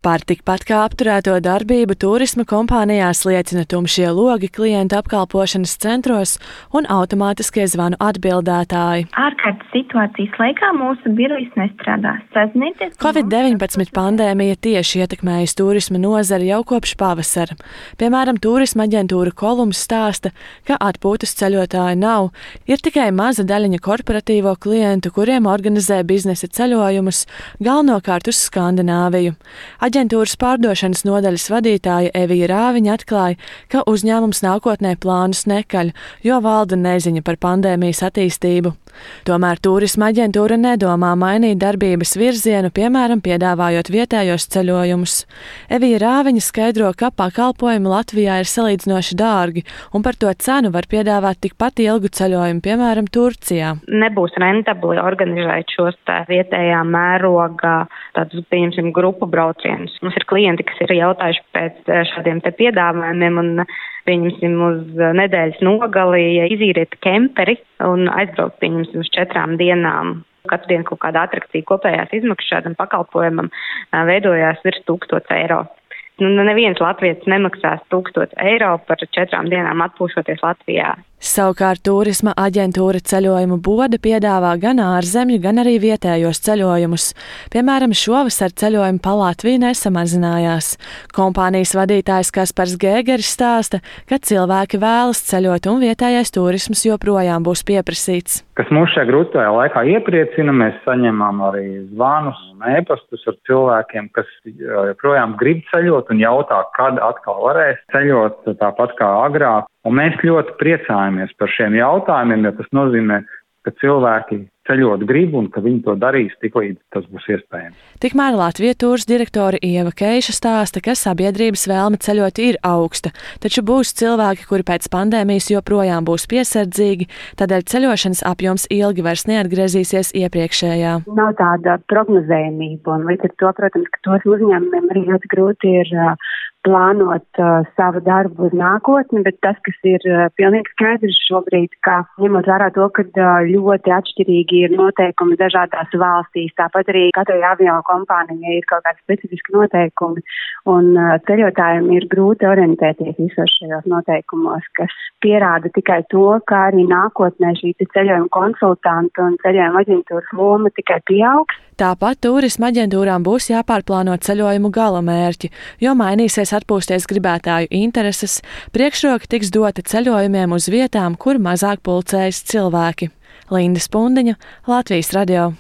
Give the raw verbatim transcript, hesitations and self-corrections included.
Par tikpat kā apturēto darbību turisma kompānijās liecina tumšie logi klientu apkalpošanas centros un automātiskie zvanu atbildētāji. Ārkārtas situācijas laikā mūsu birojas nestrādā. Sazināties. covid deviņpadsmit pandēmija tieši ietekmējusi turisma nozari jau kopš pavasara. Piemēram, turisma aģentūra Kolums stāsta, ka atpūtas ceļotāju nav, ir tikai maza daļiņa korporatīvo klientu, kuriem organizē biznesa ceļojumus, galvenokārt uz Skandināviju. Aģentūras pārdošanas nodaļas vadītāja Evija Rāviņa atklāja, ka uzņēmums nākotnē plānus nekaļ, jo valda neziņa par pandēmijas attīstību. Tomēr turisma aģentūra nedomā mainīt darbības virzienu, piemēram, piedāvājot vietējos ceļojumus. Evija Rāviņa skaidro, ka pakalpojumi Latvijā ir salīdzinoši dārgi, un par to cenu var piedāvāt tikpat ilgu ceļojumu, piemēram, Turcijā. Nebūs rentabli organizēt šos tā vietējā mērogā tādus, pieņemsim, grupu braucienus. Mums ir klienti, kas ir jautājuši pēc šādiem te piedāvājumiem un, pieņemsim, uz nedēļas nogali izīriet kemperi un aizbraukt, pieņemsim, uz četrām dienām. Katru dienu kaut kāda atrakcija kopējās izmaksas šādam pakalpojumam veidojās virs tūkstots eiro. Nu, neviens latvietis nemaksās tūkstots eiro par četrām dienām atpūšoties Latvijā. Savukārt turisma aģentūra Ceļojumu Bode piedāvā gan ārzemju, gan arī vietējos ceļojumus. Piemēram, šovasar ceļojumi pa Latviju nesamazinājās. Kompānijas vadītājs Kaspars Gēgeris stāsta, ka cilvēki vēlas ceļot un vietējais turisms joprojām būs pieprasīts. Kas mūs šajā grūtajā laikā iepriecina, mēs saņemam arī zvanus un ēpastus ar cilvēkiem, kas joprojām grib ceļot un jautā, kad atkal varēs ceļot, tāpat kā agrāk. Un mēs ļoti priecājamies par šiem jautājumiem, jo tas nozīmē, ka cilvēki ceļot grib un ka viņi to darīs tiklīdz tas būs iespējams. Tikmēr Latvijas tūras direktore Ieva Keiša stāsta, ka sabiedrības vēlme ceļot ir augsta, taču būs cilvēki, kuri pēc pandēmijas joprojām būs piesardzīgi, tādēļ ceļošanas apjoms ilgi vairs neatgriezīsies iepriekšējā. Nav tāda prognozējumība, un līdz ar to, protams, ka tos uzņēmumiem arī ļoti grūti ir uh, plānot uh, savu darbu uz nākotni, bet tas, kas ir uh, pilnīgi skaidrs šobrīd, ka ņemot vērā to, ka uh, ļoti atšķirīgi ir noteikumi dažādās valstīs, tāpat arī katrai avio kompānijai ir kaut kādi specifiski noteikumi, un uh, ceļotājiem ir grūti orientēties visos šajos noteikumos, kas pierāda tikai to, ka arī nākotnē šī ceļojuma konsultanta un ceļojuma aģentūras loma tikai pieaugs. Tāpat turisma aģentūrām būs jāpārplāno ceļojumu galamērķi, jo mainīsies atpūsties gribētāju intereses, priekšroka tiks dota ceļojumiem uz vietām, kur mazāk pulcējas cilvēki. Linda Spundiņa, Latvijas radio.